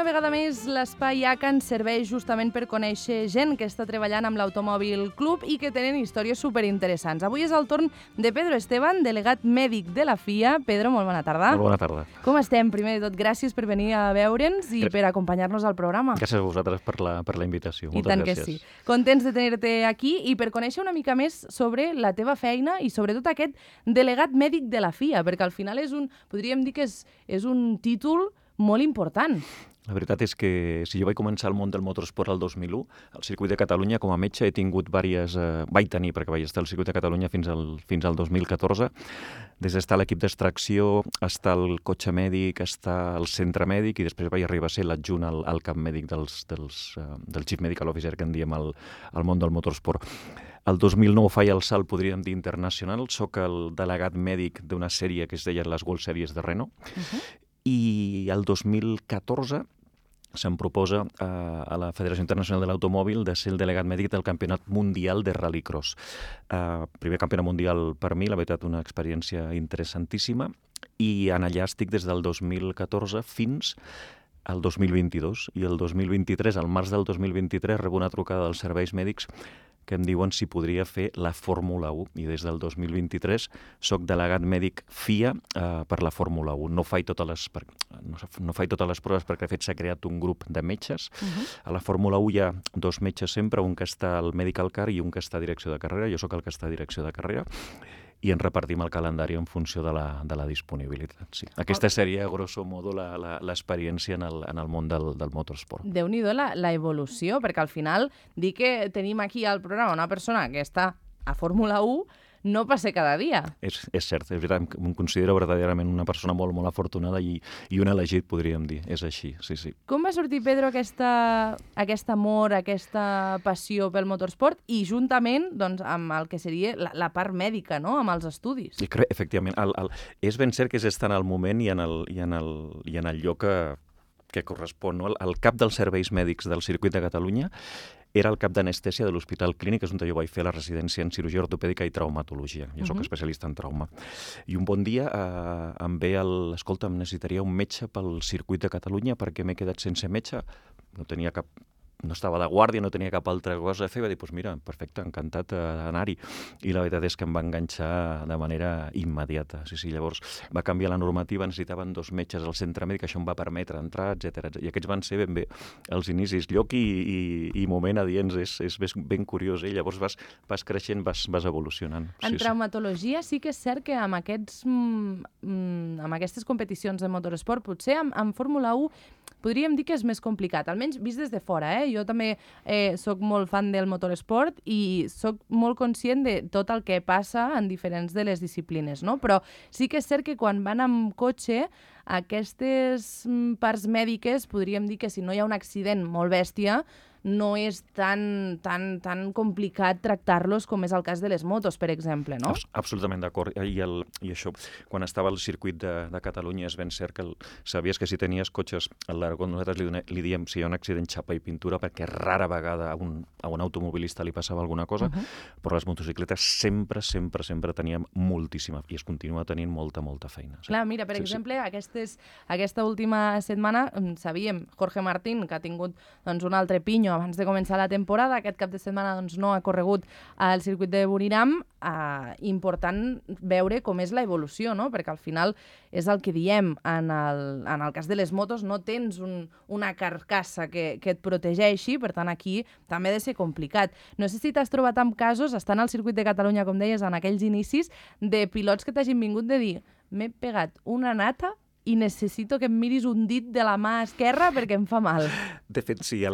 una vegada més l'Espai ACA ens serveix justament per conèixer gent que està treballant amb l'Automòbil Club i que tenen històries superinteressants. Avui és el torn de Pedro Esteban, delegat mèdic de la FIA. Pedro, molt bona tarda. Molt bona tarda. Com estem? Primer de tot, gràcies per venir a veure'ns i per acompanyar-nos al programa. Gràcies a vosaltres per la invitació. I tant que sí. Contents de tenir-te aquí i per conèixer una mica més sobre la teva feina i sobretot aquest delegat mèdic de la FIA, perquè al final podríem dir que és un títol molt important. La veritat és que si jo vaig començar el món del motorsport el 2001, al circuit de Catalunya com a metge he tingut vaig tenir, perquè vaig estar al circuit de Catalunya fins al 2014, des d'estar a l'equip d'extracció, estar al cotxe mèdic, estar al centre mèdic i després vaig arribar a ser l'adjunt al cap mèdic del Chief Medical Officer, que en diem al món del motorsport. El 2009 faig el salt, podríem dir, internacional. Soc el delegat mèdic d'una sèrie que es deia les World Series de Renault. I el 2014 se'm proposa a la Federació Internacional de l'Automòbil de ser el delegat mèdic del Campionat Mundial de Rallycross. Primer campionat mundial per mi, la veritat, una experiència interessantíssima, i en allà estic des del 2014 fins al 2022. I el 2023, al març del 2023, rebo una trucada dels serveis mèdics que em diuen si podria fer la Fórmula 1. I des del 2023 soc delegat mèdic FIA per la Fórmula 1. No faig totes les proves perquè, de fet, s'ha creat un grup de metges. A la Fórmula 1 hi ha dos metges sempre, un que està al Medical Car i un que està a direcció de carrera. Jo sóc el que està a direcció de carrera i ens repartim el calendari en funció de la disponibilitat. Sí. Aquesta seria, grosso modo, l'experiència en el món del motorsport. Déu-n'hi-do la evolució, perquè al final dir que tenim aquí al programa una persona que està a Fórmula 1 no passa cada dia. És cert, és veritat, em considero verdaderament una persona molt, molt afortunada i un elegit, podríem dir. És així, sí, sí. Com va sortir, Pedro, aquest amor, aquesta passió pel motorsport i juntament amb el que seria la part mèdica, no?, amb els estudis? I crec, efectivament, és ben cert que és estar en el moment i en el lloc que correspon. No? El cap dels serveis mèdics del circuit de Catalunya era el cap d'anestèsia de l'Hospital Clínic, és on jo vaig fer la residència en cirurgia ortopèdica i traumatologia. Jo soc especialista en trauma. I un bon dia em ve escolta, em necessitaria un metge pel circuit de Catalunya perquè m'he quedat sense metge. No estava de guàrdia, no tenia cap altra cosa a fer, va dir, doncs mira, perfecte, encantat d'anar-hi. I la veritat és que em va enganxar de manera immediata. Sí, llavors va canviar la normativa, necessitaven dos metges al centre mèdic, això em va permetre entrar, etc. I aquests van ser ben bé els inicis. Lloc i moment adients, és ben curiós, llavors vas creixent, vas evolucionant. En traumatologia sí que és cert que amb aquestes competicions de motorsport, potser amb Fórmula 1 podríem dir que és més complicat, almenys vist des de fora. Jo també soc molt fan del motorsport i soc molt conscient de tot el que passa en diferents de les disciplines, no? Però sí que és cert que quan van amb cotxe, aquestes parts mèdiques, podríem dir que si no hi ha un accident molt bèstia, no és tan complicat tractar-los com és el cas de les motos, per exemple, no? Absolutament d'acord. I això, quan estava al circuit de Catalunya, és ben cert que sabies que si tenies cotxes, a l'argot nosaltres li diem si hi ha un accident xapa i pintura, perquè rara vegada a un automobilista li passava alguna cosa, però les motocicletes sempre teníem moltíssima, i es continua tenint molta feina. Sí. Clar, mira, per exemple, aquesta última setmana sabíem Jorge Martín, que ha tingut un altre pinyo abans de començar la temporada. Aquest cap de setmana no ha corregut al circuit de Buriram. Important veure com és la evolució, no? Perquè al final és el que diem. En el cas de les motos no tens una carcassa que et protegeixi, per tant aquí també ha de ser complicat. No sé si t'has trobat amb casos, estant al circuit de Catalunya, com deies, en aquells inicis, de pilots que t'hagin vingut de dir m'he pegat una nata i necessito que em miris un dit de la mà esquerra perquè em fa mal. De fet, sí,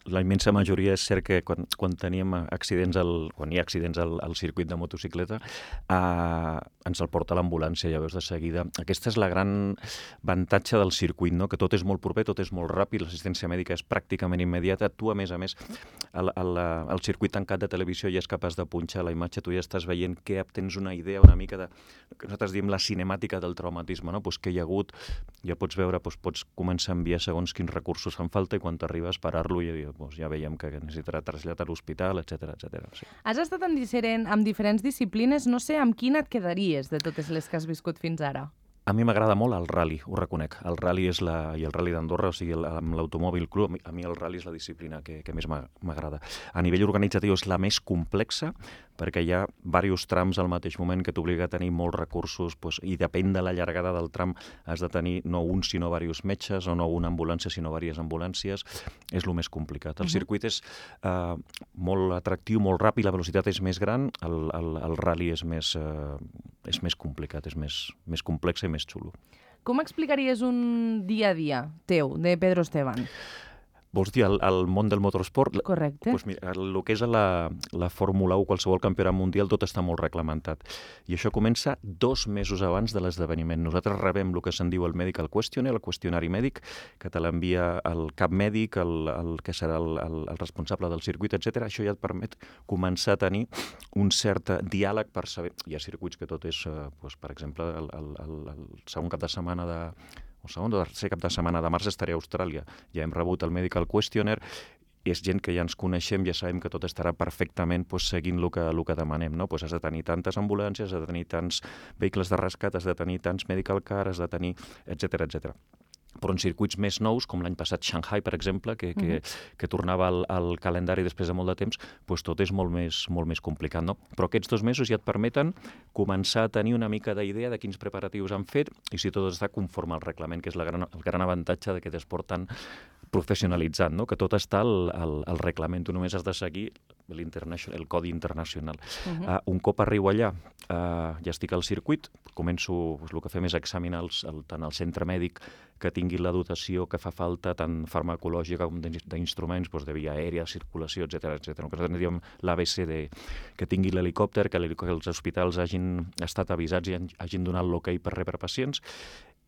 la immensa majoria és cert que quan teníem accidents, quan hi ha accidents al circuit de motocicleta, ens el porta l'ambulància, ja veus de seguida. Aquesta és la gran avantatge del circuit, no? Que tot és molt proper, tot és molt ràpid, l'assistència mèdica és pràcticament immediata. Tu, a més, al circuit tancat de televisió ja és capaç de punxar la imatge, tu ja estàs veient què tens una idea una mica de, que nosaltres diem la cinemàtica del traumatisme, no? Pues què hi ha hagut, ja pots veure, pots començar a enviar segons quins recursos fan falta i quan t'arribes parar-lo i ja veiem que necessitarà trasllat a l'hospital, etc. Sí. Has estat amb diferents disciplines, no sé amb quina et quedaries de totes les que has viscut fins ara? A mi m'agrada molt el rally, ho reconec. El rally és i el rally d'Andorra, o sigui, amb l'automòbil cru, a mi el rally és la disciplina que més m'agrada. A nivell organitzatiu és la més complexa, perquè hi ha diversos trams al mateix moment que t'obliga a tenir molts recursos, i depèn de la llargada del tram has de tenir no un sinó diversos metges, o no una ambulància sinó diverses ambulàncies. És el més complicat. El circuit és molt atractiu, molt ràpid, la velocitat és més gran, el rally és més complicat, és més complex i més xulo. Com explicaries un dia a dia teu, de Pedro Esteban? Vols dir el món del motorsport? Correcte. Doncs mira, el que és la Fórmula 1, qualsevol campionat mundial, tot està molt reglamentat. I això comença 2 mesos abans de l'esdeveniment. Nosaltres rebem el que se'n diu el Medical Questionnaire, el qüestionari mèdic, que te l'envia el cap mèdic, el que serà el responsable del circuit, etc. Això ja et permet començar a tenir un cert diàleg per saber... Hi ha circuits que tot és, per exemple, el segon cap de setmana el segon o tercer cap de setmana de març estaré a Austràlia. Ja hem rebut el Medical Questionnaire, és gent que ja ens coneixem, ja sabem que tot estarà perfectament seguint el que demanem. No? Has de tenir tantes ambulàncies, has de tenir tants vehicles de rescat, has de tenir tants medical car, has de tenir, etc etc. Però en circuits més nous, com l'any passat Shanghai, per exemple, que tornava al calendari després de molt de temps, tot és molt més complicat. No? Però aquests 2 mesos ja et permeten començar a tenir una mica d'idea de quins preparatius han fet i si tot està conforme al reglament, que és el gran avantatge d'aquest esport tan professionalitzat, no? Que tot està al reglament. Tu només has de seguir el codi internacional. Un cop arribo allà, ja estic al circuit, començo, el que fem és examinar tant el centre mèdic que tingui la dotació que fa falta, tant farmacològica com d'instruments, de via aèria, circulació, etc. Nosaltres diem l'ABC, que tingui l'helicòpter, que els hospitals hagin estat avisats i hagin donat l'ok per rebre pacients.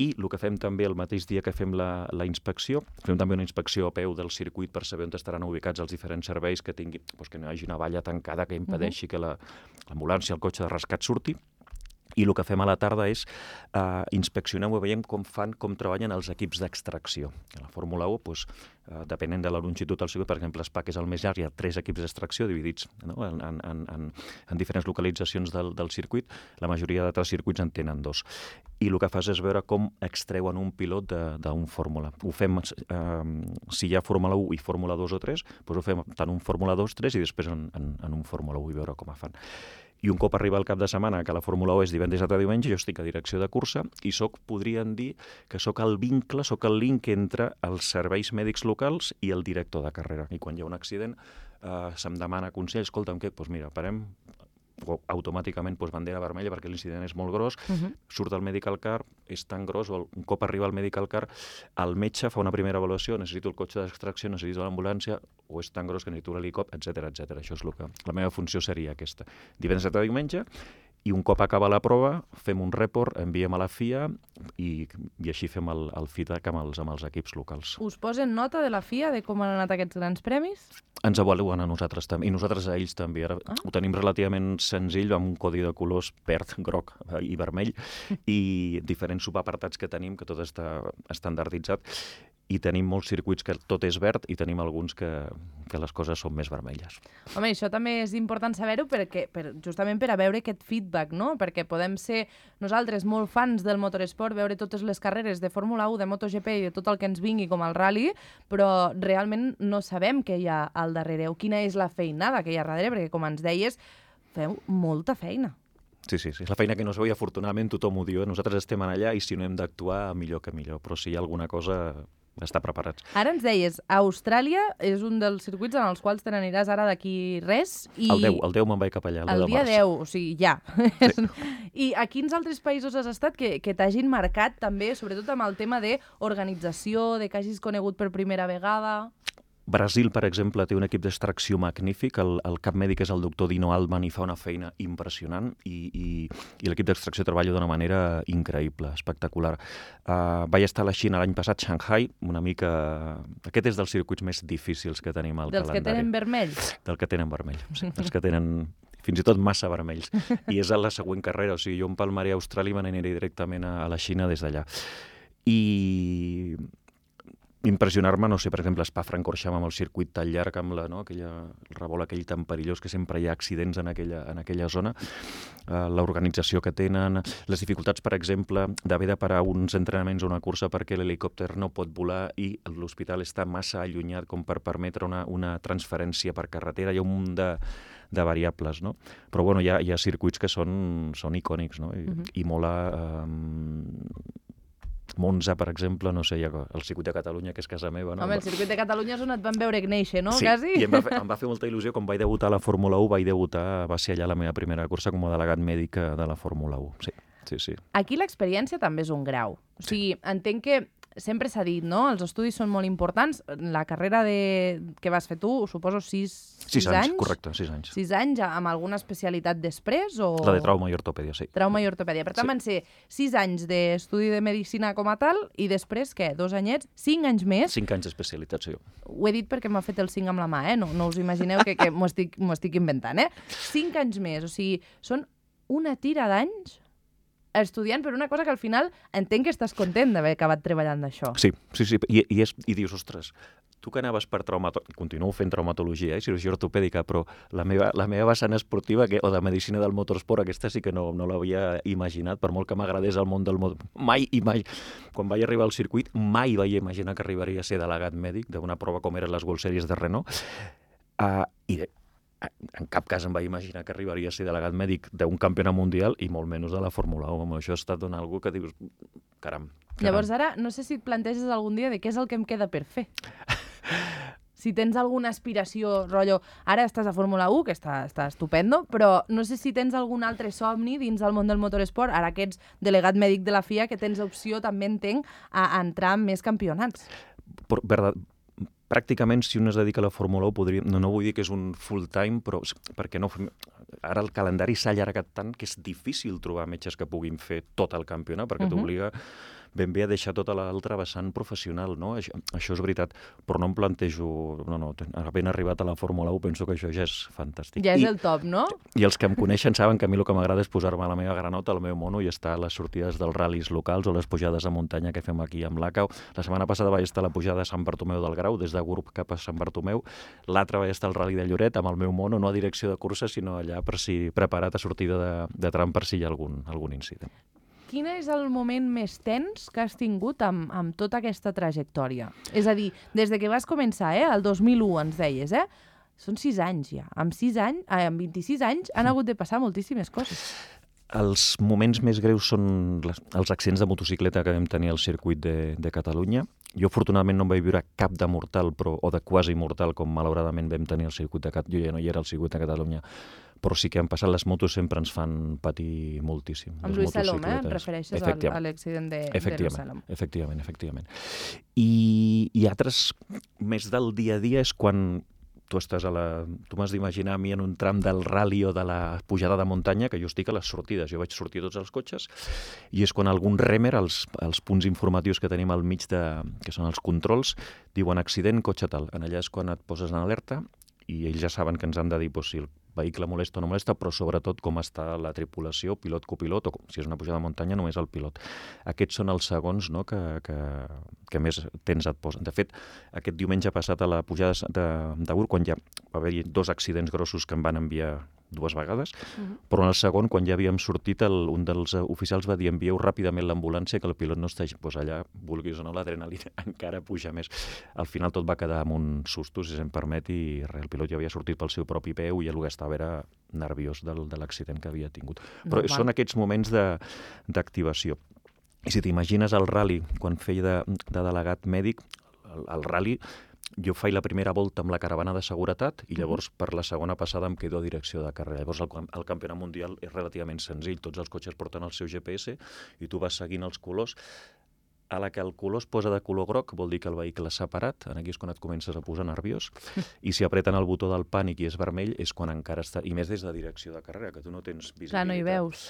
I el que fem també el mateix dia que fem la inspecció, fem també una inspecció a peu del circuit per saber on estaran ubicats els diferents serveis que tingui, que no hi hagi una valla tancada que impedeixi que l'ambulància, el cotxe de rescat surti. I el que fem a la tarda és inspeccionem i veiem com treballen els equips d'extracció. A la Fórmula 1, depenent de la longitud del circuit, per exemple, Spa, que és el més llarg, hi ha 3 equips d'extracció dividits en diferents localitzacions del circuit. La majoria d'altres circuits en tenen 2. I el que fas és veure com extreuen un pilot d'un Fórmula. Ho fem, si hi ha Fórmula 1 i Fórmula 2 o 3, ho fem tant un Fórmula 2, 3 i després en un Fórmula 1 i veure com fan. I un cop arriba el cap de setmana, que la Fórmula 1 és divendres a diumenge, jo estic a direcció de cursa i podríem dir que sóc el vincle, sóc el link entre els serveis mèdics locals i el director de carrera. I quan hi ha un accident se'm demana consell, escolta'm, què? Mira, parem, automàticament bandera vermella perquè l'incident és molt gros, surt el medical car, és tan gros, un cop arriba el medical car, el metge fa una primera avaluació, necessito el cotxe d'extracció, necessito l'ambulància, o és tan gros que necessito l'helicòpter, etc. Això és la meva funció seria aquesta. Divendres a diumenge, i un cop acaba la prova, fem un report, enviem a la FIA i així fem el feedback amb els equips locals. Us posen nota de la FIA de com han anat aquests grans premis? Ens avaluen a nosaltres també, i nosaltres a ells també. Ara ho tenim relativament senzill, amb un codi de colors verd, groc i vermell, i diferents subapartats que tenim, que tot està estandarditzat, i tenim molts circuits que tot és verd i tenim alguns que les coses són més vermelles. Home, això també és important saber-ho justament per a veure aquest feedback, no? Perquè podem ser nosaltres molt fans del motoresport, veure totes les carreres de Fórmula 1, de MotoGP i de tot el que ens vingui com el rally, però realment no sabem què hi ha al darrere o quina és la feinada que hi ha darrere, perquè com ens deies, feu molta feina. Sí, és la feina que no es veu i afortunadament tothom ho diu. Nosaltres estem allà i si no hem d'actuar, millor que millor, però si hi ha alguna cosa, estar preparats. Ara ens deies, Austràlia és un dels circuits en els quals te n'aniràs ara d'aquí res. El 10 me'n vaig cap allà, el dia 10, o sigui, ja. Sí. I a quins altres països has estat que t'hagin marcat també, sobretot amb el tema d'organització, de que hagis conegut per primera vegada? Brasil, per exemple, té un equip d'extracció magnífic. El cap mèdic és el doctor Dino Altman i fa una feina impressionant i l'equip d'extracció treballa d'una manera increïble, espectacular. Vaig estar a la Xina l'any passat, Shanghai, una mica... Aquest és dels circuits més difícils que tenim al calendari. Dels que tenen vermell? Del que tenen vermell, sí. Els que tenen fins i tot massa vermells. I és a la següent carrera, o sigui, jo empalmaré a Austràlia i me n'aniré directament a la Xina des d'allà. I impressionar-me, no sé, per exemple, Spa-Francorchamps amb el circuit tan llarg, amb el revolt aquell tan perillós que sempre hi ha accidents en aquella zona, l'organització que tenen, les dificultats, per exemple, d'haver de parar uns entrenaments o una cursa perquè l'helicòpter no pot volar i l'hospital està massa allunyat com per permetre una transferència per carretera. Hi ha un munt de variables, no? Però bueno, hi ha circuits que són icònics, no? I mola... Monza, per exemple, no sé, el circuit de Catalunya, que és casa meva, no? Home, el circuit de Catalunya és on et van veure néixer, no? Sí, quasi? I em va fer molta il·lusió. Quan vaig debutar a la Fórmula 1, va ser allà la meva primera cursa com a delegat mèdic de la Fórmula 1. Sí. Aquí l'experiència també és un grau. O sigui, entenc que sempre s'ha dit, no? Els estudis són molt importants. La carrera que vas fer tu, suposo, 6 anys? Correcte, 6 anys. 6 anys, amb alguna especialitat després? O... La de trauma i ortopèdia, sí. Trauma i ortopèdia. Per tant, van ser 6 anys d'estudi de medicina com a tal, i després, què? 2 anyets? 5 anys més? 5 anys d'especialitat, sí. Ho he dit perquè m'ha fet el 5 amb la mà, No us imagineu que m'ho estic inventant, 5 anys més, o sigui, són una tira d'anys estudiant per una cosa que al final entenc que estàs content d'haver acabat treballant d'això. Sí. I dius, ostres, tu que anaves per traumatologia, continuo fent traumatologia, cirurgia ortopèdica, però la meva vessant esportiva o de medicina del motorsport, aquesta sí que no l'havia imaginat, per molt que m'agradés el món del motorsport. Mai. Quan vaig arribar al circuit, mai vaig imaginar que arribaria a ser delegat mèdic d'una prova com eren les World Series de Renault. En cap cas em vaig imaginar que arribaria a ser delegat mèdic d'un campionat mundial i molt menys de la Fórmula 1. Això ha estat algo que dius, caram. Llavors ara, no sé si et planteges algun dia de què és el que em queda per fer. Si tens alguna aspiració, rotllo, ara estàs a Fórmula 1, que està estupendo, però no sé si tens algun altre somni dins del món del motoresport, ara que ets delegat mèdic de la FIA, que tens opció, també entenc, a entrar en més campionats. Pràcticament, si un es dedica a la Fórmula 1, no vull dir que és un full-time, però perquè no... Ara el calendari s'ha allargat tant que és difícil trobar metges que puguin fer tot el campionat, perquè t'obliga ben bé a deixar tota l'altra vessant professional, no? Això és veritat, però no em plantejo... No, havent arribat a la Fórmula 1 penso que això ja és fantàstic. Ja és el top, no? I els que em coneixen saben que a mi el que m'agrada és posar-me la meva granota, el meu mono, i estar a les sortides dels ral·lis locals o les pujades a muntanya que fem aquí amb l'ACAU. La setmana passada vaig estar a la pujada de Sant Bartomeu del Grau, des de Gurb cap a Sant Bartomeu. L'altra vaig estar al ral·li de Lloret amb el meu mono, no a direcció de cursa, sinó allà preparat a sortida de tram per si hi ha algun incident. Quin és el moment més tens que has tingut amb tota aquesta trajectòria? És a dir, des de que vas començar, el 2001 ens deies, són 6 anys ja. Amb 26 anys han hagut de passar moltíssimes coses. Els moments més greus són els accidents de motocicleta que vam tenir al circuit de Catalunya. Jo, afortunadament, no em vaig viure cap de mortal o de quasi mortal, com malauradament vam tenir al circuit de Catalunya. Jo ja no hi era al circuit de Catalunya, però sí que han passat les motos, sempre ens fan patir moltíssim. Amb Lluís Salom, et refereixes a l'accident de Lluís Salom. Efectivament. I altres, més del dia a dia, és quan tu m'has d'imaginar a mi en un tram del ral·li o de la pujada de muntanya, que jo estic a les sortides. Jo vaig sortir a tots els cotxes i és quan algun remer, els punts informatius que tenim al mig, que són els controls, diuen accident, cotxe tal. En allà és quan et poses en alerta i ells ja saben que ens han de dir si el vehicle molesta o no molesta, però sobretot com està la tripulació, pilot, copilot, o si és una pujada de muntanya, només el pilot. Aquests són els segons, no, que més temps et posen. De fet, aquest diumenge passat a la pujada de Ur, quan ja va haver-hi 2 accidents grossos que em van enviar 2 vegades, però en el segon, quan ja havíem sortit, un dels oficials va dir envieu ràpidament l'ambulància, que el pilot no està allà, vulguis o no, l'adrenalina encara puja més. Al final tot va quedar amb un susto, si se'm permet, i el pilot ja havia sortit pel seu propi peu i el que estava era nerviós de l'accident que havia tingut. Però són aquests moments d'activació. I si t'imagines el ral·li, quan feia de delegat mèdic, el ral·li, jo faig la primera volta amb la caravana de seguretat i llavors per la segona passada em quedo a direcció de carrera. Llavors el campionat mundial és relativament senzill. Tots els cotxes porten el seu GPS i tu vas seguint els colors. A la que el color es posa de color groc vol dir que el vehicle s'ha parat, aquí és quan et comences a posar nerviós, i si apreten el botó del pànic i és vermell és quan encara està, i més des de direcció de carrera, que tu no tens visibilitat. Clar, no hi veus.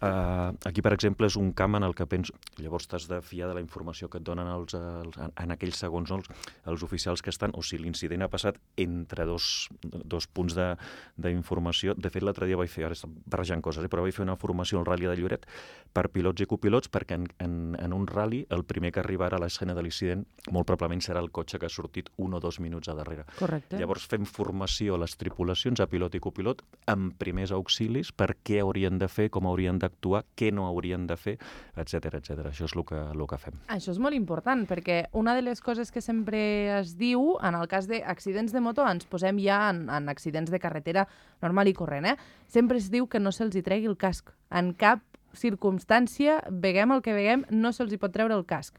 Aquí, per exemple, és un camp en el que penso... Llavors t'has de fiar de la informació que et donen en aquells segons els oficials que estan, o si l'incident ha passat entre dos punts d'informació. De fet, l'altre dia vaig fer, ara estic barrejant coses, però vaig fer una formació al Rally de Lloret per pilots i copilots, perquè en un rally el primer que arribarà a l'escena de l'incident molt probablement serà el cotxe que ha sortit 1 o 2 minuts a darrere. Correcte. Llavors fem formació a les tripulacions, a pilot i copilot, amb primers auxilis, per què haurien de fer, com haurien d'actuar, què no haurien de fer, etc etc. Això és el que fem. Això és molt important, perquè una de les coses que sempre es diu, en el cas d'accidents de moto, ens posem ja en accidents de carretera normal i corrent, sempre es diu que no se'ls hi tregui el casc. En cap circumstància, veguem el que veguem, no se'ls hi pot treure el casc.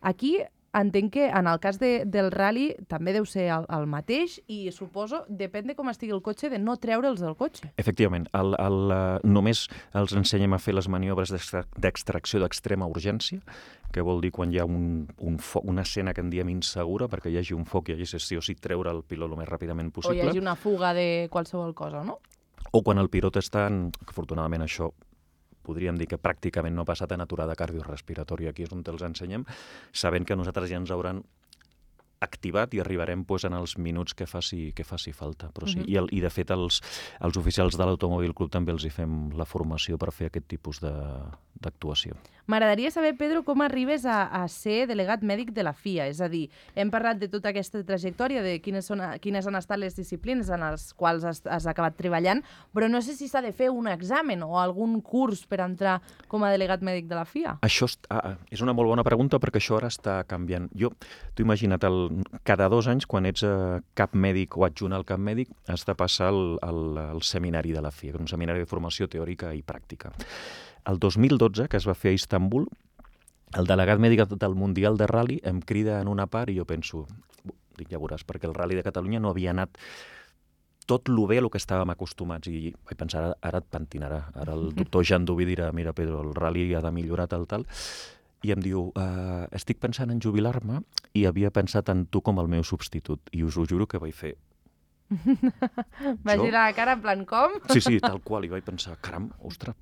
Aquí entenc que en el cas del rally també deu ser el mateix i suposo, depèn de com estigui el cotxe, de no treure'ls del cotxe. Efectivament. Només els ensenyem a fer les maniobres d'extracció d'extrema urgència, que vol dir quan hi ha una escena que en diem insegura, perquè hi hagi un foc i hi hagi sí o sí treure el pilot el més ràpidament possible. O hi hagi una fuga de qualsevol cosa, no? O quan el pilot està, afortunadament això podríem dir que pràcticament no ha passat en aturada cardiorrespiratòria, aquí és on els ensenyem, sabent que nosaltres ja ens hauran activat i arribarem en els minuts que faci falta. Però sí. I de fet els oficials de l'Automòbil Club també els hi fem la formació per fer aquest tipus d'actuació. M'agradaria saber, Pedro, com arribes a ser delegat mèdic de la FIA. És a dir, hem parlat de tota aquesta trajectòria, de quines han estat les disciplines en les quals has acabat treballant, però no sé si s'ha de fer un examen o algun curs per entrar com a delegat mèdic de la FIA. Això és una molt bona pregunta perquè això ara està canviant. T'ho imagina't, cada 2 anys, quan ets cap mèdic o adjunt al cap mèdic, has de passar el seminari de la FIA, un seminari de formació teòrica i pràctica. El 2012, que es va fer a Istanbul, el delegat mèdic del Mundial de Rally em crida en una part i jo penso, ja veuràs, perquè el Rally de Catalunya no havia anat tot lo bé a lo que estàvem acostumats i vaig pensar, ara et pentinarà. Ara el doctor Jan Duví dirà, mira Pedro, el Rally ha de millorar tal, i em diu, estic pensant en jubilar-me i havia pensat en tu com el meu substitut. I us ho juro que vaig fer. Va girar la cara en plan com? Sí, tal qual. I vaig pensar, caram, ostres,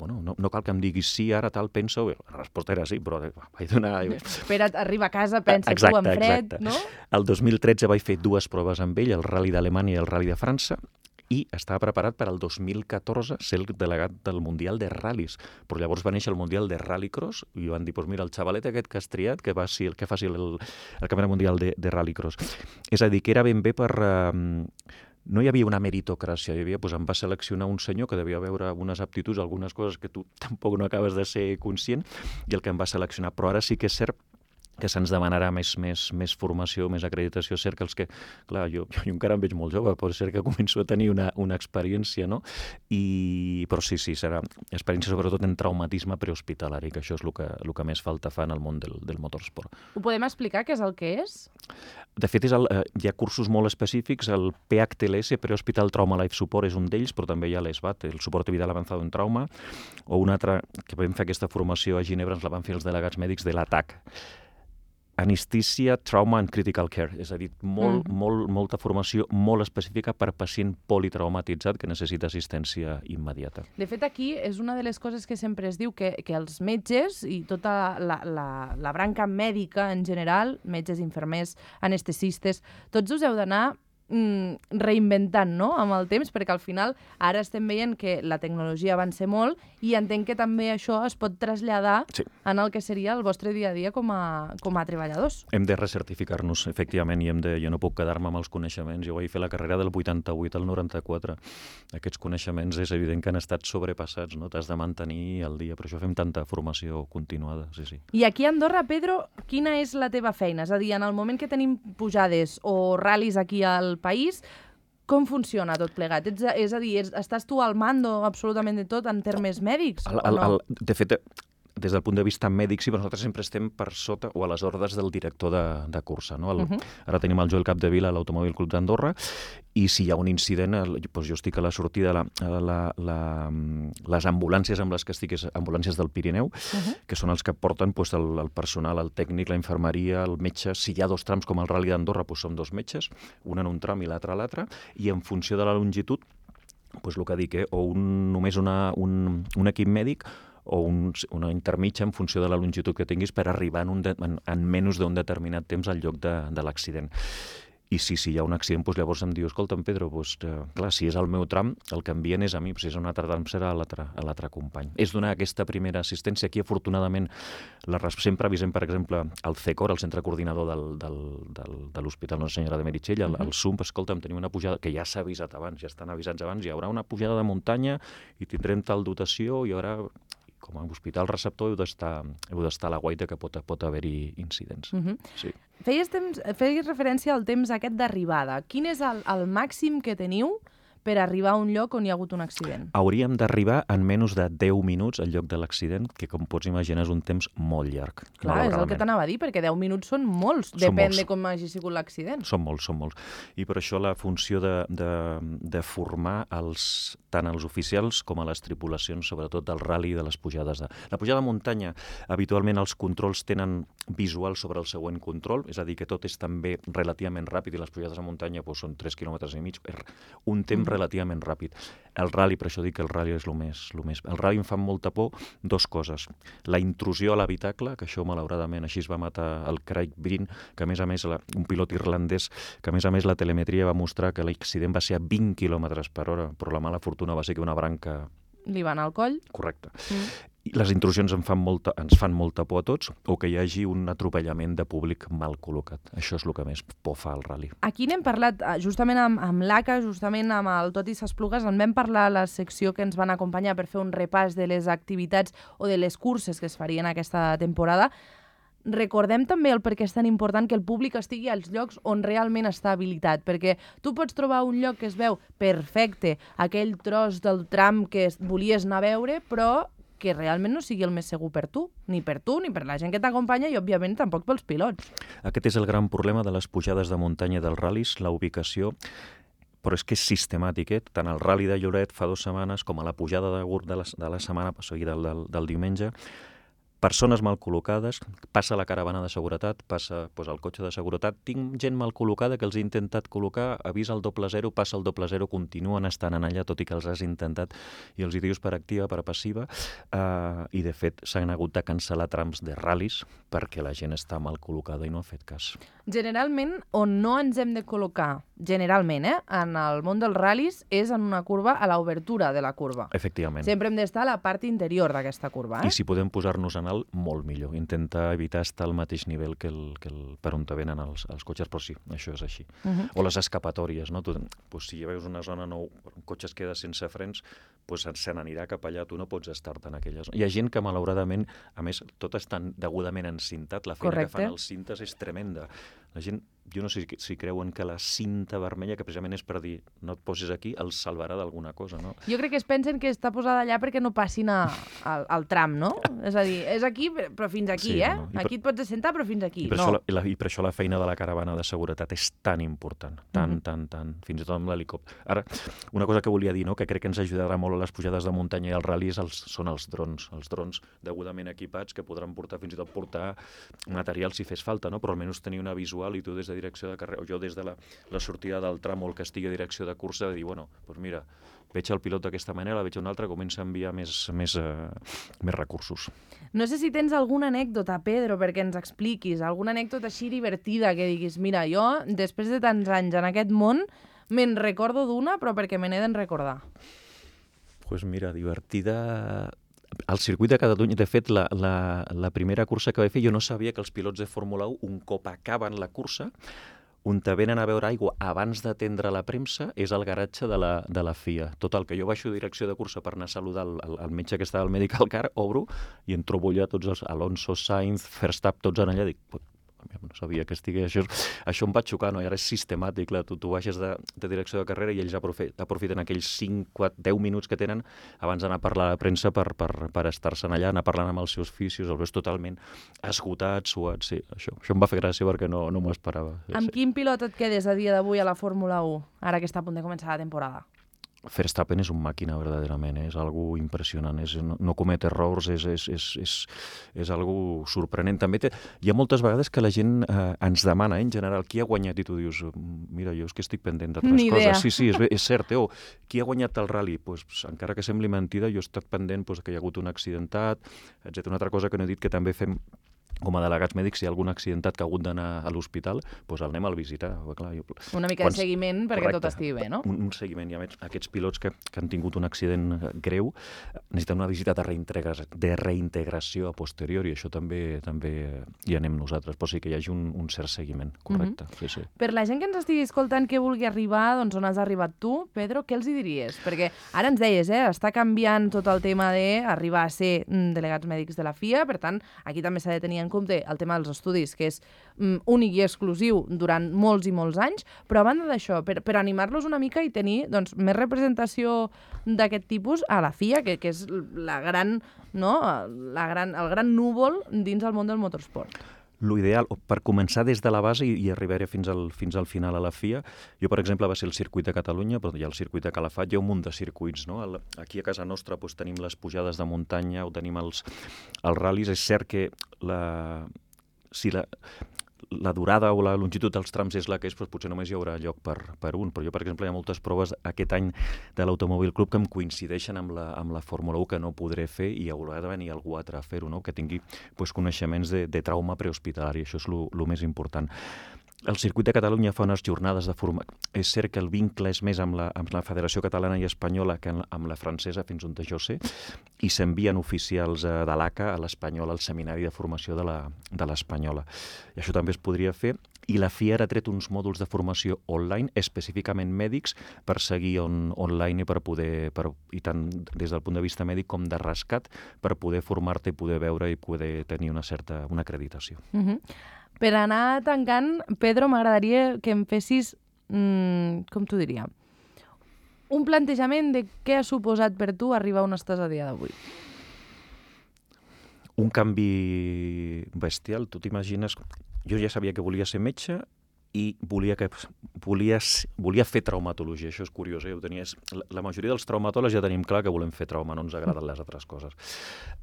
doncs, no cal que em diguis sí, ara tal, penso. La resposta era sí, però vaig donar... Espera't, arriba a casa, pensa tu en fred, no? El 2013 vaig fer 2 proves amb ell, el Rally d'Alemanya i el Rally de França, i estava preparat per al 2014 ser el delegat del Mundial de Ral·lis. Però llavors va néixer el Mundial de Rallycross i van dir, mira, el xavalet aquest que has triat, que faci el Campionat Mundial de Rallycross. És a dir, que era ben bé per... No hi havia una meritocràcia, em va seleccionar un senyor que devia veure algunes aptituds, algunes coses que tu tampoc no acabes de ser conscient, i el que em va seleccionar. Però ara sí que és cert que se'ns demanarà més formació, més acreditació. És cert que els que... Clar, jo encara em veig molt jove, pot ser que començo a tenir una experiència, no? Però sí, serà experiència sobretot en traumatisme prehospitalari, que això és el que més falta fa en el món del motorsport. Ho podem explicar què és el que és? De fet, hi ha cursos molt específics, el PHTLS, Prehospital Trauma Life Support, és un d'ells, però també hi ha l'ESVAT, el Soporte Vital Avanzado en Trauma, o un altre, que vam fer aquesta formació a Ginebra, ens la van fer els delegats mèdics de l'ATAC. Anesthesia, Trauma and Critical Care, és a dir, molta formació molt específica per pacient politraumatitzat que necessita assistència immediata. De fet, aquí és una de les coses que sempre es diu que els metges i tota la branca mèdica en general, metges, infermers, anestesistes, tots us heu d'anar reinventant, no?, amb el temps, perquè al final ara estem veient que la tecnologia avança molt i entenc que també això es pot traslladar en el que seria el vostre dia a dia com a treballadors. Hem de recertificar-nos, efectivament, i jo no puc quedar-me amb els coneixements. Jo vaig fer la carrera del 88 al 94. Aquests coneixements és evident que han estat sobrepassats, no? T'has de mantenir al dia, per això fem tanta formació continuada, sí. I aquí a Andorra, Pedro, quina és la teva feina? És a dir, en el moment que tenim pujades o ral·lis aquí al país, com funciona tot plegat? És a dir, estàs tu al mando absolutament de tot en termes mèdics? De fet, des del punt de vista mèdic, sí, però nosaltres sempre estem per sota o a les ordres del director de cursa. No? Ara tenim el Joel Capdevila a l'Automòbil Club d'Andorra i si hi ha un incident, jo estic a la sortida, les ambulàncies amb les que estic, ambulàncies del Pirineu, que són els que porten el personal, el tècnic, la infermeria, el metge. Si hi ha 2 trams com el Rally d'Andorra, som 2 metges, un en un tram i l'altre a l'altre, i en funció de la longitud doncs el que dic, o només un equip mèdic o una intermitja en funció de la longitud que tinguis per arribar en menys d'un determinat temps al lloc de l'accident. I si hi ha un accident, doncs llavors em diu, escolta'm, Pedro, clar, si és el meu tram, el que envien és a mi, si és un altre tram serà a l'altre company. És donar aquesta primera assistència. Aquí, afortunadament, sempre avisem, per exemple, el CECOR, el Centre Coordinador de l'Hospital Nostra Senyora de Meritxell, el SUMP, escolta'm, tenim una pujada, que ja s'ha avisat abans, ja estan avisats abans, hi haurà una pujada de muntanya i tindrem tal dotació, hi haurà... Com a hospital receptor heu d'estar a la guaita que pot haver-hi incidents. Sí. Feies referència al temps aquest d'arribada. Quin és el màxim que teniu per arribar a un lloc on hi ha hagut un accident? Hauríem d'arribar en menys de 10 minuts al lloc de l'accident, que com pots imaginar és un temps molt llarg. Clar, és el que t'anava a dir, perquè 10 minuts són molts, depèn de com hagi sigut l'accident. Són molts. I per això la funció de formar tant els oficials com a les tripulacions, sobretot del ral·li i de les pujades. La pujada de muntanya, habitualment els controls tenen visual sobre el següent control, és a dir, que tot és també relativament ràpid i les pujades de muntanya són 3,5 quilòmetres, un temps relativament ràpid. El ral·li, per això dic que el ral·li és el més... El ral·li em fa molta por dues coses. La intrusió a l'habitacle, que això malauradament així es va matar el Craig Breen, que a més, un pilot irlandès, que a més la telemetria va mostrar que l'accident va ser a 20 km/h, però la mala fortuna va ser que una branca... Li va anar al coll? Correcte. I les intrusions ens fan molta por a tots, o que hi hagi un atropellament de públic mal col·locat. Això és el que més por fa al ral·li. Aquí n'hem parlat justament amb l'ACA, justament amb el Tot i s'Esplugues, en vam parlar a la secció que ens van acompanyar per fer un repàs de les activitats o de les curses que es farien aquesta temporada. Recordem també el per què és tan important que el públic estigui als llocs on realment està habilitat, perquè tu pots trobar un lloc que es veu perfecte, aquell tros del tram que volies anar a veure, però que realment no sigui el més segur per tu, ni per la gent que t'acompanya i, òbviament, tampoc pels pilots. Aquest és el gran problema de les pujades de muntanya dels ral·lis, la ubicació, però és que és sistemàtic, tant el ral·li de Lloret fa 2 setmanes com a la pujada de Gurb de la setmana, o sigui, del diumenge, persones mal col·locades, passa la caravana de seguretat, passa el cotxe de seguretat, tinc gent mal col·locada que els he intentat col·locar, avisa el 00, passa el 00, continuen estant en allà, tot i que els has intentat, i els hi dius per activa, per passiva, i de fet s'han hagut de cancel·lar trams de ral·lis perquè la gent està mal col·locada i no ha fet cas. Generalment, on no ens hem de col·locar, generalment, en el món dels ral·lis, és en una curva a l'obertura de la curva. Efectivament. Sempre hem d'estar a la part interior d'aquesta curva. I si podem posar-nos en alt, molt millor. Intentar evitar estar al mateix nivell que per on te venen els cotxes, però sí, això és així. O les escapatòries, no? Si hi veus una zona on un cotxe es queda sense frens, se n'anirà cap allà, tu no pots estar-te en aquella zona. Hi ha gent que, malauradament, a més, tot està degudament encintat, la feina que fan els cintes és tremenda. La gent, jo no sé si creuen que la cinta vermella, que precisament és per dir no et posis aquí, els salvarà d'alguna cosa, no? Jo crec que es pensen que està posada allà perquè no passin al tram, no? És a dir, és aquí, però fins aquí, Aquí et pots assentar, però fins aquí. I per això la feina de la caravana de seguretat és tan important, tant, fins i tot amb l'helicòpter. Ara, una cosa que volia dir, que crec que ens ajudarà molt a les pujades de muntanya i als ral·lis són els drons. Els drons degudament equipats que podran fins i tot portar material si fes falta, però almenys tenir una visual i tu des de direcció de carrera, o jo des de la sortida del tram o el que estigui a direcció de cursa, de dir, doncs mira, veig el pilot d'aquesta manera, veig un altre, comença a enviar més recursos. No sé si tens alguna anècdota, Pedro, perquè ens expliquis, alguna anècdota així divertida que diguis, mira, jo, després de tants anys en aquest món, me'n recordo d'una, però perquè me n'he d'en recordar. Doncs mira, divertida... Al circuit de Catalunya, de fet, la primera cursa que vaig fer, jo no sabia que els pilots de Fórmula 1, un cop acaben la cursa, on te venen a veure aigua abans d'atendre la premsa és el garatge de la FIA. Total, que jo baixo direcció de cursa per anar a saludar el metge que estava al Medical Car, obro i em trobo allà tots els Alonso, Sainz, Verstappen, tots en allà, dic, no sabia que estigués això em va xocar, no? I ara és sistemàtic, tu baixes de direcció de carrera i ells aprofiten aquells 5-10 minuts que tenen abans d'anar a parlar a la premsa per estar-se'n allà, anar parlant amb els seus fisios, els veus totalment esgotats, suats, sí, això em va fer gràcia perquè no m'ho esperava. Amb quin pilot et quedes a dia d'avui a la Fórmula 1, ara que està a punt de començar la temporada? Verstappen és un màquina, verdaderament, és algo impressionant, no comet errors, és algo sorprenent. També hi ha moltes vegades que la gent ens demana, en general, qui ha guanyat, i tu dius, mira, jo és que estic pendent d'altres coses. Sí, és cert, qui ha guanyat el rally? Pues, encara que sembli mentida, jo he estat pendent que hi ha hagut un accidentat, etc. Una altra cosa que no he dit, que també fem com a delegats mèdics, si hi ha algun accidentat que ha hagut d'anar a l'hospital, doncs el anem a visitar. Clar, una mica de seguiment perquè tot estigui bé, no? Un seguiment. I a més, aquests pilots que han tingut un accident greu necessiten una visita de reintegració a posteriori, i això també hi anem nosaltres, però sí que hi hagi un cert seguiment, correcte. Sí. Per la gent que ens estigui escoltant que vulgui arribar, doncs on has arribat tu, Pedro, què els hi diries? Perquè ara ens deies, està canviant tot el tema d'arribar a ser delegats mèdics de la FIA, per tant, aquí també s'ha de tenir en compte el tema dels estudis, que és únic i exclusiu durant molts i molts anys, però a banda d'això, per animar-los una mica i tenir més representació d'aquest tipus a la FIA, que és el gran núvol dins el món del motorsport. L'ideal, per començar des de la base i arribar fins al final a la FIA, jo, per exemple, va ser el circuit de Catalunya, però hi ha el circuit de Calafat, hi ha un munt de circuits, no? Aquí a casa nostra tenim les pujades de muntanya o tenim els ral·lis. És cert que la durada o la longitud dels trams és la que és, però potser només hi haurà lloc per un. Però jo, per exemple, hi ha moltes proves aquest any de l'Automòbil Club que em coincideixen amb la Fórmula 1 que no podré fer, i haurà de venir algú altre a fer-ho, no? Que tingui coneixements de trauma prehospitalari. Això és el més important. El circuit de Catalunya fa unes jornades de formació. És cert que el vincle és més amb la Federació Catalana i Espanyola que amb la francesa, fins on jo sé, i s'envien oficials de l'ACA a l'Espanyola, al seminari de formació de l'Espanyola. I això també es podria fer. I la FIA ha tret uns mòduls de formació online, específicament mèdics, per seguir online i per poder, i tant des del punt de vista mèdic com de rescat, per poder formar-te i poder veure i poder tenir una acreditació. Per anar tancant, Pedro, m'agradaria que em fessis, com t'ho diria, un plantejament de què ha suposat per tu arribar on estàs a dia d'avui. Un canvi bestial. Tu t'imagines... Jo ja sabia que volia ser metge i volia fer traumatologia. Això és curiós, La majoria dels traumatòlegs ja tenim clar que volem fer trauma, no ens agraden les altres coses.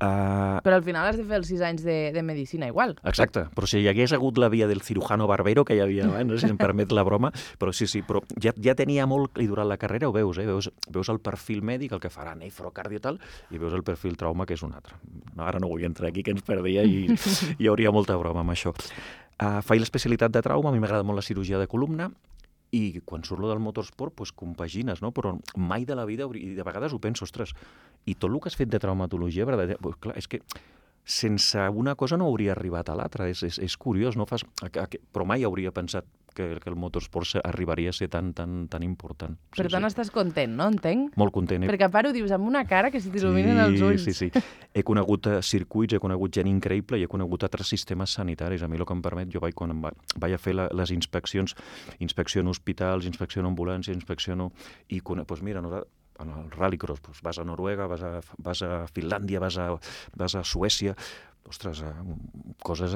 Però al final has de fer els 6 anys de medicina igual. Exacte, però si hi hagués hagut la via del cirujano barbero que hi havia abans, no sé si em permet la broma, però sí, però ja tenia molt, i durant la carrera ho veus, veus el perfil mèdic, el que farà nefrocardio i tal, i veus el perfil trauma, que és un altre. Ara no vull entrar aquí, que ens perdia, i hi hauria molta broma amb això. Faig l'especialitat de trauma, a mi m'agrada molt la cirurgia de columna, i quan surt del motorsport, doncs compagines, no? Però mai de la vida, i de vegades ho penso, ostres, i tot el que has fet de traumatologia, clar, és que sense una cosa no hauria arribat a l'altra. És curiós, no? Però mai hauria pensat que el motorsport arribaria a ser tan important. Per tant, estàs content, no? Entenc? Molt content. Perquè a part ho dius amb una cara que se t'il·luminen els ulls. Sí. He conegut circuits, he conegut gent increïble i he conegut altres sistemes sanitaris. A mi el que em permet, jo quan vaig a fer les inspeccions, inspecciono hospitals, inspecciono ambulàncies, inspecciono... I doncs mira, en el rallycross, vas a Noruega, vas a Finlàndia, vas a Suècia... Ostres, coses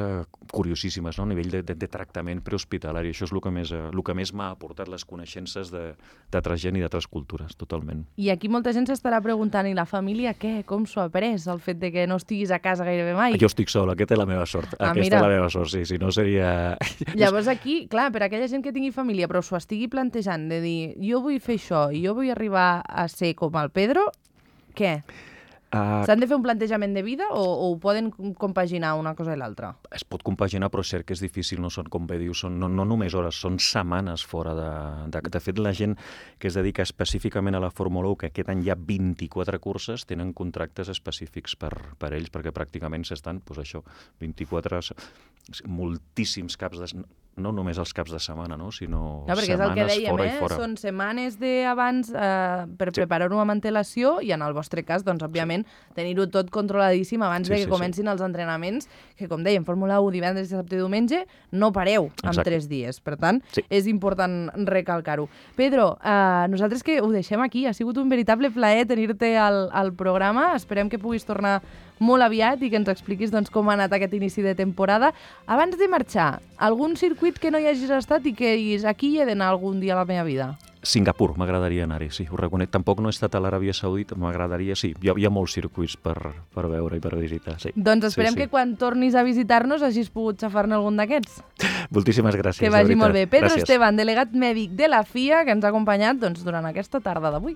curiosíssimes, no? A nivell de tractament prehospitalari. Això és el que més m'ha aportat les coneixences d'altra gent i d'altres cultures, totalment. I aquí molta gent s'estarà preguntant, i la família què? Com s'ho ha pres, el fet de que no estiguis a casa gairebé mai? Jo estic sol, aquesta és la meva sort. És la meva sort, sí, si no seria... Llavors aquí, clar, per aquella gent que tingui família, però s'ho estigui plantejant de dir, jo vull fer això i jo vull arribar a ser com el Pedro, què? S'han de fer un plantejament de vida o ho poden compaginar una cosa i l'altra? Es pot compaginar, però és cert que és difícil, no són, com bé dius, no només hores, són setmanes fora de fet, la gent que es dedica específicament a la Fórmula 1, que aquest any hi ha 24 curses, tenen contractes específics per ells, perquè pràcticament s'estan, doncs això, 24, moltíssims caps de... No només els caps de setmana, no? Sinó perquè setmanes és el que dèiem, fora i fora. Són setmanes d'abans per preparar-ho amb antelació i en el vostre cas, doncs, òbviament, tenir-ho tot controladíssim abans de que comencin els entrenaments, que, com dèiem, Fórmula 1, divendres, dissabte i diumenge, no pareu en 3 dies. Per tant, és important recalcar-ho. Pedro, nosaltres que ho deixem aquí, ha sigut un veritable plaer tenir-te al programa. Esperem que puguis tornar molt aviat i que ens expliquis com ha anat aquest inici de temporada. Abans de marxar, algun circuit que no hi hagis estat i que diguis, aquí hi he d'anar algun dia a la meva vida? Singapur, m'agradaria anar-hi, sí, ho reconec. Tampoc no he estat a l'Aràbia Saudita, m'agradaria, sí. Hi ha molts circuits per veure i per visitar, sí. Doncs esperem que quan tornis a visitar-nos hagis pogut xafar-ne algun d'aquests. Moltíssimes gràcies, que vagi molt bé. Pedro Gràcies. Esteban, delegat mèdic de la FIA, que ens ha acompanyat durant aquesta tarda d'avui.